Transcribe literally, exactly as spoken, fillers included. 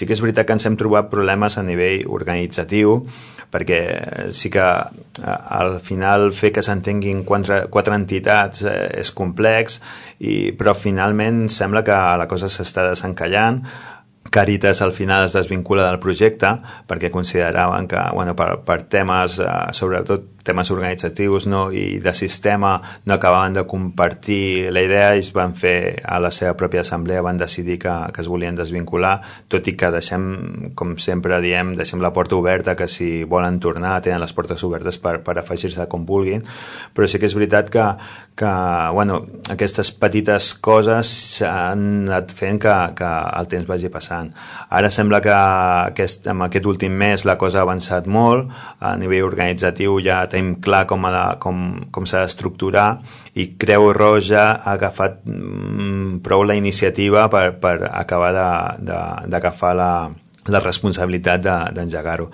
Sí que és veritat que ens hem trobat problemes a nivell organitzatiu, perquè sí que al final fer que s'entenguin quatre, quatre entitats és complex, i, però finalment sembla que la cosa s'està desencallant. Càritas al final es desvincula del projecte perquè consideraven que bueno, per, per temes, eh, sobretot temes organitzatius, no, i de sistema, no acabaven de compartir la idea, i es van fer a la seva pròpia assemblea, van decidir que, que es volien desvincular, tot i que deixem, com sempre diem, deixem la porta oberta, que si volen tornar tenen les portes obertes per, per afegir-se com vulguin, però sí que és veritat que, que bueno, aquestes petites coses han anat fent que, que el temps vagi passant. Ara sembla que aquest, amb aquest últim mes la cosa ha avançat molt, a nivell organitzatiu ja tenim clar com, ha de, com, com s'ha d'estructurar, i Creu Roja ha agafat mm, prou la iniciativa per, per acabar d'agafar la, la responsabilitat d'engegar-ho.